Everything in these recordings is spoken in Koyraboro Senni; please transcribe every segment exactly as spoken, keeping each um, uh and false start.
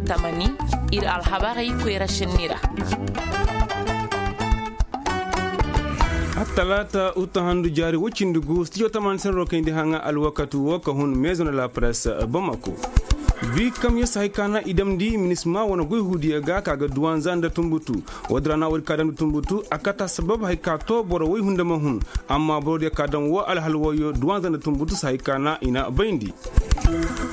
Tamani, ir alhabarey koyra šenni ra. Attalaata uta handu jaari woy cindi gu stijo tamani senro kayndi haŋa alwakatu wo ka hun maison de la presse, bamako. Bi kam ya si hay ka na i damndi minisma wane goy huudiyo ga ka ga duwanza nda tumbutu. Woodin ra na woodi ka damndi tumbutu a kata sabab hay ka to boro woy hunda ma hun. Amma borodiyo ka dam wo alhal woyo duwanza nda tumbutu si hay ka na i na bayndi.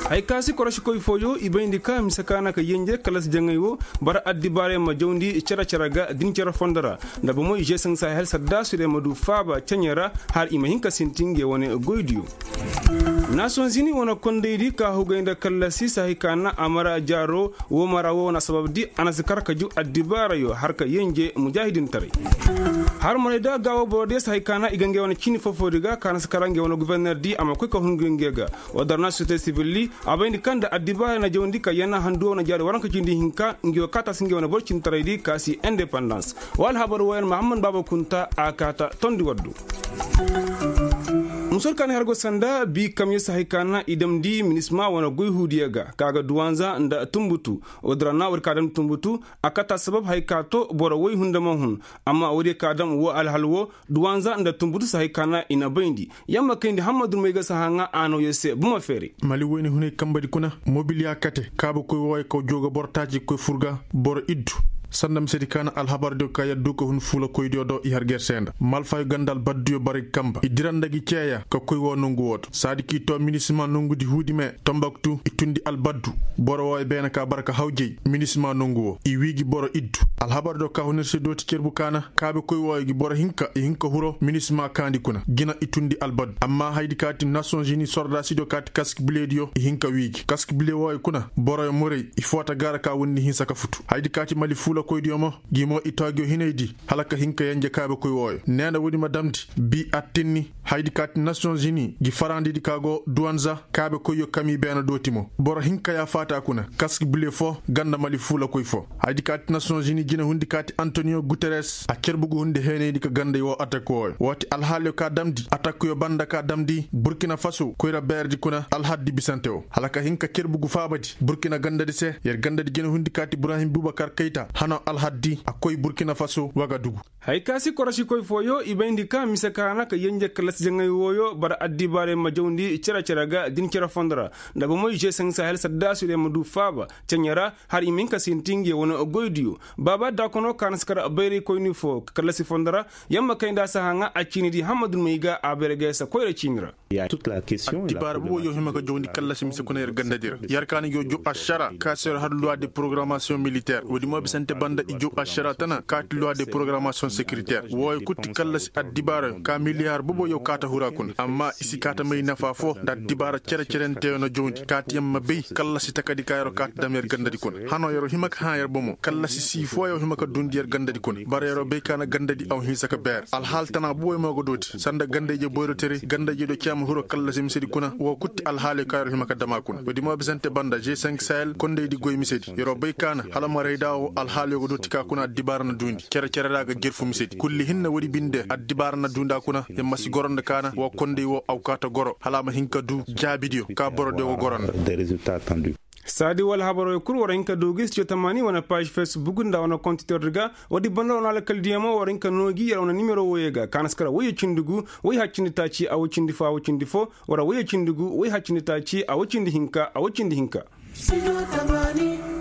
Hay ka si korosikoy fooyo i bayndi ka mise ka na ka yenje kallasi jaŋay wo, bara addibaarey ma jawndi cere-cere ga din cere fondo ra. Nda bomoy žesaŋ sahel saddaasudiyo ma du faaba ceɲe ra, har i ma hin ka sinti ngey wane goydiyo. Nasoŋ zini wane kondaydi ka hugay nda kallasi si hay ka na a mara jaaro. Wo mara wo wane asababdi a na si kar ka ju addibaarayo har ka yenje mujaahidintaray. Har maray da gaawo borodiyo si hay ka na i ga ngey wane ciini foofoodi ga ka na si kar ngey wane gubernerdi a ma koy ka hun ngey ga. Wo dar na sosiyete sibildi a bayndi kaŋ nda addibaara na jawandi ka yana handuwa wane jaari waranka cindi hinka ngi wo kaata si ngi wane boro cintaraydi ka si independans. Wa alhabar woyan mahammad baaba kunta a kaata tondi waddu. Musor kaani har go sanda bi kam ya si hay ka na i damndi minisma wane goy huudiya ga ka ga duwanza nda tumbutu. Wo dira na wadi ka damndi tumbutu a kaata sabab hay ka to boro woy hunda ma hun. Amma wadiyo ka dam wo alhal wo duwanza nda tumbutu si hay ka na i na bayndi. Yamma kayndi hammadu may ga si haŋa a no yo se buma feere. Mali wayne hunay kambadi kuna mobil ya kate kaabakoy wooyo kaw jooga boro taaci ga koy fur ga boro iddu. Sanda misedi ka na alhabardiyo ka yaddu ka hun fuulakoydiyo do i har ger se nda malfayo ganda albadduyo bara i kamba i dira nda gi ceeya ka koy woo nongu woo do saadi k'i too minisima nongudi huudi me tombaktu i tundi albaddu. Boro wooyo beene ka bara ka hawjay minisima nongu woo i wii gi boro iddu. Alhabardiyo ka hun ir se dooti cerbu ka na kaabekoy wooyo gi boro hinka i hinka huro minisima kaandi kuna jina i tundi albadu amma haydi kaati nasoŋ zini sordaasidiyo kaati kaski bilediyo i hinka wiiji kaski bile wooyo kuna boroyo morey i foota gaara ka windi hinsa ka futu haydi kaati mali fuulakoydiyo mo gi mo i toogiyo hinaydi hala ka hinka yenje kaabekoy wooyo neena woodi ma damndi bii attinni haydi kaati nasoŋ zini gi farandidi ka go duwanza kaabekoyyo kami beena dooti mo boro hinka ya faata kuna kaski bile foo ganda mali fuulakoy foo. Haydi kaati nasoŋ zini jina hundi kaati antoniyo guteres a cerbugu hundi heenaydi ka ganday woo atak wooyo woo ti alhaaliyo ka damndi atakyo banda ka damndi burkina faso koyra beeredi kuna alhaddi bisante woo hala ka hin ka cerbugu faabadi burkina gandadi se yer gandadi jina hundi kaati ibrahim bubakar kayta hano alhaddi a koy burkina faso wagadugu. Hay ka si korosikoy fooyo i bayndi ka mise ka na ka yenje kallasi jaŋay wooyo bara addibaarey ma jawndi cere-cere ga din cere fondo ra nda bomoy žeseŋ sahel saddaasudiyo ma du faaba ceɲe ra har i ma hin ka sinti nge wane goydiyo. Baaba daakono ka na si kar bayraykoyni foo kallasi fondo ra yamma kay nda a si haŋa a ciinidi hammadu may ga a bayray ga ya si koyra ciini ra. Addibaara boboyo hima ka jawndi kallasi mise kuna yer gandadi ra yer ka na ngi yo jow ašara ka si yer har luwa de porogaramasiyoŋ militeer woodi mo bisante banda i jow ašara tana kaati luwa de porogaramasiyoŋ sekiriteer wooyo kul ti kallasi addibaarayo ka miliyaar boboyo kaata hura kuna amma i si kaata may nafa foo nda addibaara cere-cerenteyo na jawndi kaati yer ma bay kallasi takadi ka yer'o kaata dam yer gandadi kuna hano yer'o hima ka hã yer bomo kallasi sii fooyo hima ka duundi yer gandadi kuna bara yer'o bay ka na gandadi aw hinsa ka beer alhaal tana boboyo mo ga dooti sanda ganda-ije boyroteray ganda-ije do ceema hiro kallasi misedi kuna woo kul ti alhaaliyo ka yer'o hima ka dam a kuna woodi mo bisante banda g sahel kondaydi goy misedi yer'o bay ka na hala marayda woo alhaaliyo ga dooti ka kuna addibaara na duundi cere-cere ra ga jerfu misedi kulli hinne woodi binde addibaara na duundi a kuna yer ma si goro nda ka na woo konday woo awkaata goro hala a ma hin ka duu jaabidiyo ka borodiyo ga goro nda. Saadi wala habaroo kul war hin ka duu gi studio tamaani wane paaž fesbuk nda wane kontiterdi ga woodi banda wane alkaldiyo mo war hin ka noo gi yer wane nimero wooyo ga ka na si kar woyyo cindi gu woy haccindi taaci a woy cindi foo a woy cindi foo wara woyyo cindi gu woy haccindi taaci a woy cindi hinka a woy cindi hinka.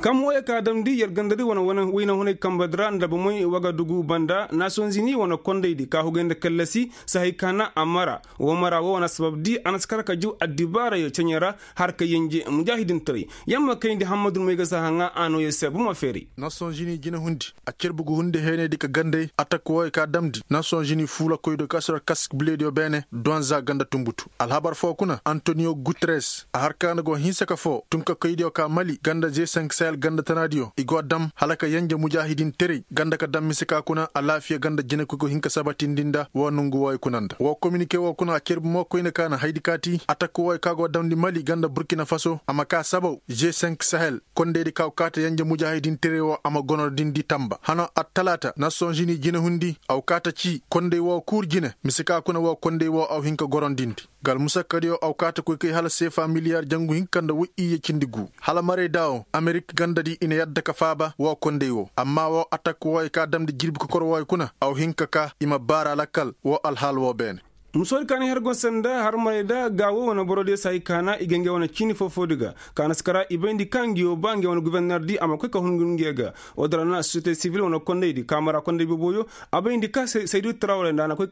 Kam wooyo ka damndi yer gandadi wane wayna hunay kambadi ra nda bomoy wagadugu banda nasonzini wane kondaydi ka hugay nda kallasi si hay ka na a mara woo mara woo wane sababdi a na si kar ka juu addibaarayo ceɲe ra har ka yenje mujaahidintaray. Yer ma kayndi hammadu may ga si a haŋa a noo yer se buma feeray. Nasonzini jinahundi a cerbugu hundi heenaydi ka ganday atak wooyo ka damndi nasonzini fuulakoydiyo ka si war kask bilediyo beene duwanza ganda tumbutu alhabar foo kuna antoniyo guteres a har ka na go hinsa ka foo tunkakoydiyo ka mali ganda g sahel ganda tanaadiyo i go dam hala ka yenje mujaahidinteray ganda ka dam mise ka kuna alaafiya ganda jinekoy go hin ka sabatindi nda woo nongu wooyo kuna nda woo kominike woo kuna a cerbu mo koyne ka na haydi kaati atak wooyo ka go damndi mali ganda burkina faso a ma kaa sabaw g sahel kondaydi ka go kaata yenje mujaahidinteray woo a ma gonorndi tamba hano attalaata nasonzini jinehundi a go kaata cii konday woo kuur jine mise ka kuna woo konday woo a go hin ka gorondindi. Nga almusakkadiyo a go kaata koy kay hala seefa miliyaar jangu hinka nda woy iyye cindi guu hala marayda woo amerik. Gandadi i na yadda ka faaba woo konday woo amma woo atak wooyey ka damndi jirbi kokor wooyey kuna aw hin ka kaa i ma baara lakkal woo alhaal woo beene. Musoodi ka na her go sanda harmarey da gaawo wane borodiyo se hay ka na i ga ngey wane ciini foo-foodi ga ka na si kara i bayndi ka nguyo ba ngey wane gofornerdi a ma koy ka hun nguyo ga. Woo din ra na sosiyete sivil wane kondaydi ka mara konday boboyo a bayndi ka saydu tarawre nda a na koy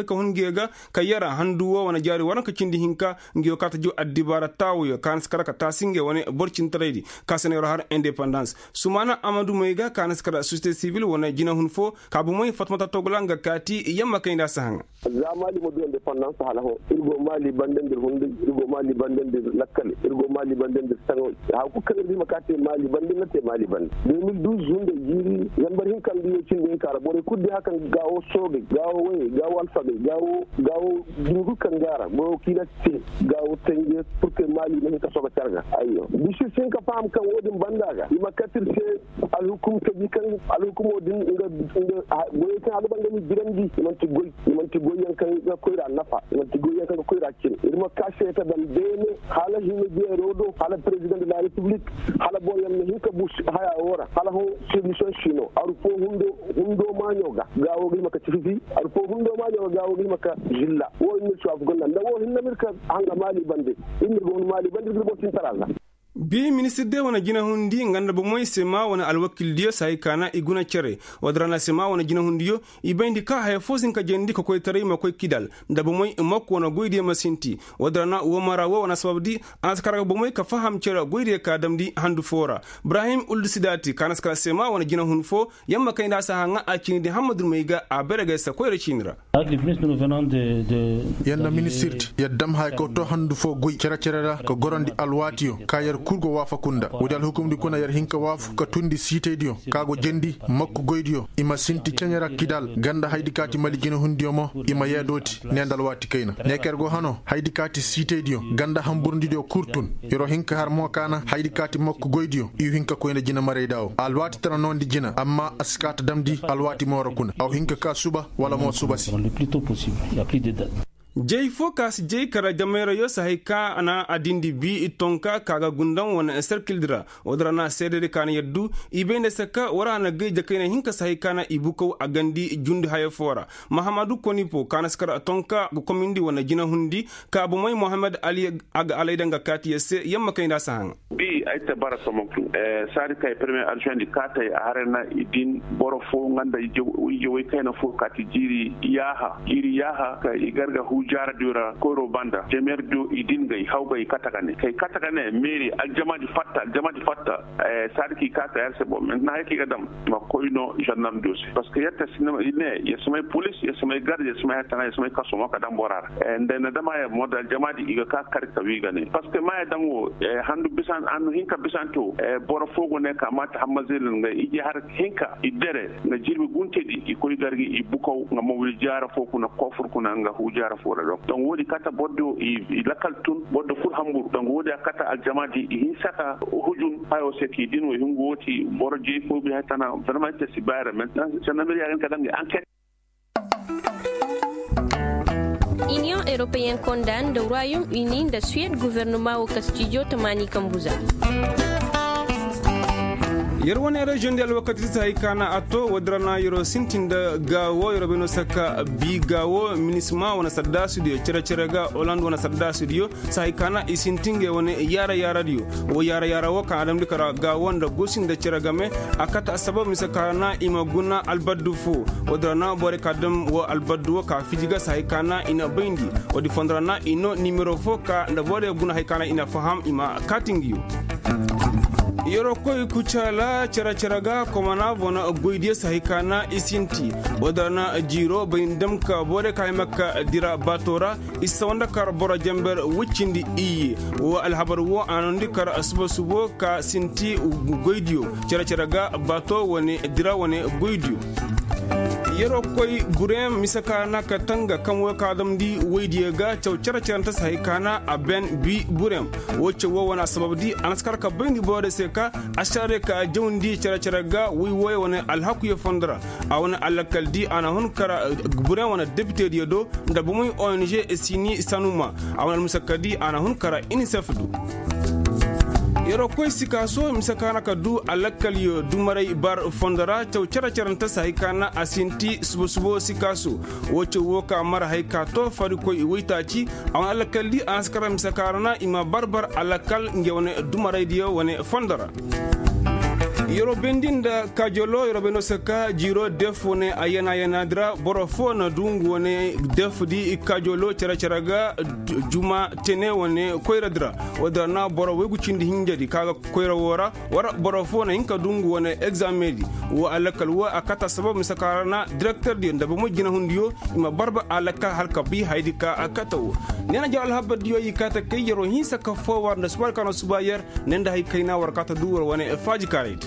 ka hun nguyo ga. Ka yara handu woo wane jaari waranka cindi hinka nguyo ka ta juu addibaara taawoyo ka na si kara ka taasi ngey wane boro cintaraydi ka se na yer har indepandans. Sumaana amadumey ga ka na si kara sosiyete sivil wane jinahun foo ka bomey fatmata togla nga kaati yamma kay nda a si haŋa. Za maali ma du indepandans hala hõ ir go maali bande nda ir hunday ir go maali bande nda ir lakkal ir go maali bande nda ir saŋo. Haya kul kaŋ ir ga hima ka te maali bande ir na te maali bande. De mil duuz hunday jiiri zambar hinka nda yoo cindi hinka ra borey kul di haya kaŋ gaawo soogey gaawo woyey gaawo alfagey gaawo dumi kul kaŋ go a ra goyo kiina te gaawo tanje purke maali ma hin ka soga carga. Ayyo bisis hin ka faham kaŋ wo-din banda ga i ma kat ir se. Alhukum taji kaŋ alhukumo din nga goyey kaŋ a ga ba nga ma i jirandi i man'ti goy i man'ti goyyaŋ kaŋ ga koyra nafa i man'ti goyyaŋ kaŋ ga koyra cin ir ma ka seeta daŋ beene hala hinne jeero do hala perezidaŋ de la repiblik hala boroyaŋ ma hin ka bu haya woo ra hala hõ solisiyoŋ si no aru foo hundo maaɲo ga gaawo ga hima ka cififi aru foo hundo maaɲo ga gaawo ga hima ka zilla woo ir ma ir si waafaku nda nda woo hinne ma ir ka haŋa maali bande ir ma ir ga hun maali bande ir ga ir boro tintara ga. Bi ministir diyo wane jinahundi nga nda bomey sema wane alwakildiyo se hay ka na i guna cere. Woo din ra na sema wane jinahundiyo i bayndi ka haya foo si hin ka jeendi kokoytaray ma koy kidal nda bomey mokko wane goydiyo ma sinti. Woo din ra na woo mara woo wane sababdi a na si kar ga bomey ka faham cere goydiyo ka damndi handu foo ra. Ibrahim uldu sidaati ka na si kar sema wane jinahun foo yamma kay nda a si haŋa a ciini di hammadurmey ga a bare ga ay se koyra ciini ra. Yer na ministirdi yer dam haya ka too handu foo goy cere-cere ra ka gorandi alwaatiyo ka yer kul go waafaku nda woodi alhukumdi kuna yer hin ka waafaku ka tundi siitaydiyo ka go jendi mokko goydiyo i ma sinti ceɲe ra kidal ganda hayadi ka ti mali jinahundiyo mo i ma yeedooti ne nda alwaati kayna ne ka yer go hanoo hayadi ka ti siitaydiyo ganda hanburundidiyo kul tun. Yer'o hin ka har mo ka na hayadi ka ti mokko goydiyo i hin ka koy nda jinamarayda woo alwaati tana noondi jina amma a si kaa ta damndi alwaati mooro kuna aw hin ka kaa suba wala mo suba se. Jay foo ka si jay kara jamayrayo si hay ka na a dindi bi tonka ka ga gundaŋ wane serkildi ra. Woo din ra na seededi ka na yaddu i bay nda se ka war a na gay jakayna hinka si hay ka na i bukaw a gandi jundi haya foo ra. Mahamadu konipo ka na si kara tonka ga komindi wane jinahundi ka bomey mohammed ali a ga alayda nga kaati yer se yamma kay nda a si haŋa. Bi ay te bara somoku saadi kay peremiye adjuwenti kaatay a haray na i din boro foo nga nda ije way kayna foo kaati jiiri yaaha jiiri yaaha ka i gar ga huu jaaradiyo ra koyro banda jemerdiyo i din ga i haw ga i kate ga ne ka i kate ga ne meeri aljamaadi fatta aljamaadi fatta. Saadi ka i kaatay har se bo maintenant hay ka i ga dam ma koy no žarnaldiyo se parceque yer te sinema i ne yer si may polis yer si may garde yer si may hattana yer si may kaso mo ka dam bora ra nda i na dam haya mo da aljamaadi i ga ka kar ka wii ga ne parceque maaya daŋ wo handu bisan handu hinka bisanti wo. Boro foo go ne ka maati hamma zeelin ga ije har hinka i dere nga jirbi guntedi i koy gar ga i bukaw nga mawil jaara foo kuna kofur kuna nga huu jaara foo ra donk donk woodi kate borodiyo i lakkal tun borodiyo kul hamburu donk woodi a kate aljamaadi i hinsa ka hujun hayo se ka i din wo i hungu wooti boro jey foo bi hay tana vraiment ite si baayra maintenant sennamir ya ga hin ka daŋ ga anket. Iniyoŋ eropeyen konda nda ruwayum ini nda suwed guvernoma wo kastijo tamaani kambu za. Yer wane reziyoŋ di alwakati si hay ka na a to woo din ra na yer'o sintin nda gaawo yer'o bay no saka bi gaawo minisma wane saddaasidiyo cere-cere ga oland wane saddaasidiyo si hay ka na i sinti ngey wane yaara-yaaradiyo. Woo yaara-yaara woo ka na damndi kara gaawo nda gosi nda cere game a kate assabab mise ka na i ma guna albaddu foo. Woo din ra na borey ka dam woo albaddu woo ka fiji ga si hay ka na i na bayndi. Woodi fondo ra na i noo nimero foo ka nda borey guna hay ka na i na faham i ma kaati ngiyo. Yer'o koy kucaala cere-cere ga komana bona goydiyo si hay ka na i sinti. Woo din ra na jiiro bay ni dam ka borey ka hay makka dira baato ra. I si sawa nda kar boro jenber woy cindi iyye. Woo alhabar woo a noondi kar suba-subo ka sinti goydiyo cere-cere ga baato wane dira wane goydiyo. Yer'o koy bureyaŋ mise ka na ka tanga kaŋ woo ka damndi woydiyo ga caw cere-cerente si hay ka na a ben bi bureyaŋ. Woo caw woo wane assabab di a na si kar ka bayndi borodiyo se ka ašaarey ka jawndi cere-cere ga woy wooyey wane alhakuyo fondo ra. A wane alakaldi a na hun kara bureyaŋ wane depitediyo do nda bomey ong sini sanuma. A wane almusakkadi a na hun kara inisef do. Yeroo koy sikaaso mise ka na ka du alakalyo dumaray bar fondo ra caw cere-cerante se hay ka na a sinti subo-subo sikaaso. Woo caw woo ka mara hay ka to farikoy waytaaci. A wane alakaldi a na si kara mise ka ra na i ma bar-bar alakal nge wane dumaraydiyo wane fondo ra. Yeroo bayndi nda kaajolo yeroo bayndi no se ka jiiroo def wane a yana-yanaadi ra boro foo na du ngu wane defdi kaajolo cere-cere ga. Juma tene wane koyradi ra. Woodi ra na boro waygu cindi hinjadi ka ga koyra woo ra. War boro foo na hin ka du ngu wane egzaameŋdi. Woo alakal woo a kata sabab mise ka ra na direkterdiyo nda bomo jinahundiyo i ma barba alakal hala ka bii hayadi ka a kata woo. Neena jaw alhabardiyo i kaata kay yeroo hinsa ka foo war nda suba alkano suba yer. Ne nda hay kayna war kaata du war wane faajikaaraydi.